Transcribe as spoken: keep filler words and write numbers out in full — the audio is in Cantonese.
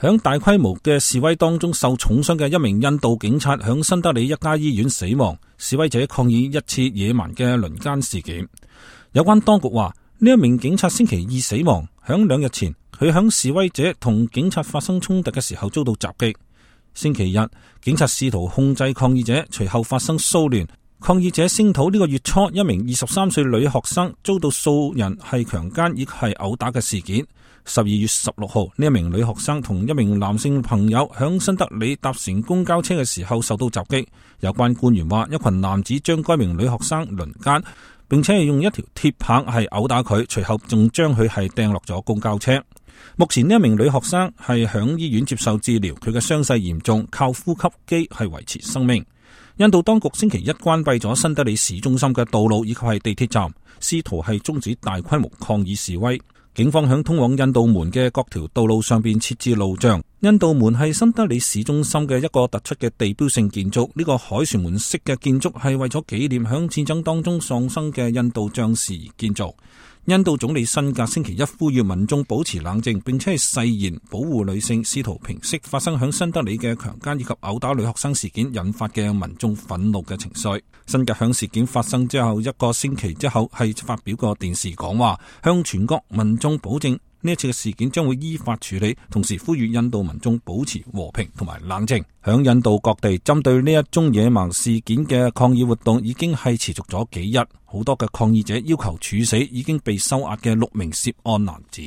響大規模嘅示威當中受重傷嘅一名印度警察響新德里一家醫院死亡。示威者抗議一次野蠻嘅輪姦事件。有關當局話，呢一名警察星期二死亡，響兩日前佢響示威者同警察發生衝突嘅時候遭到襲擊。星期日，警察試圖控制抗議者，隨後發生騷亂。抗議者聲討呢個月初一名二十三歲女學生遭到數人係強姦以及係毆打嘅事件。十二月十六號，呢一名女學生同一名男性朋友響新德里搭乘公交車嘅時候受到襲擊。有關官員話，一群男子將該名女學生輪姦，並且係用一條鐵棒係毆打佢，隨後仲將佢係掟落咗公交車。目前呢一名女學生係響醫院接受治療，佢嘅傷勢嚴重，靠呼吸機係維持生命。印度當局星期一關閉咗新德里市中心嘅道路以及係地鐵站，試圖係終止大規模抗議示威。警方響通往印度門嘅各條道路上邊設置路障。印度門係新德里市中心嘅一個突出嘅地標性建築，呢個凱旋門式嘅建築係為咗紀念響戰爭當中喪生嘅印度將士而建造。印度總理辛格星期一呼籲民眾保持冷靜，並且係誓言保護女性，試圖平息發生響新德里嘅強姦以及毆打女學生事件引發嘅民眾憤怒嘅情緒。辛格響事件發生之後一個星期之後係發表個電視講話，向全國民眾保證呢一次嘅事件將會依法處理，同時呼籲印度民眾保持和平同埋冷靜。響印度各地針對呢一宗野蠻事件嘅抗議活動已經係持續咗幾日，好多嘅抗議者要求處死已經被收押嘅六名涉案男子。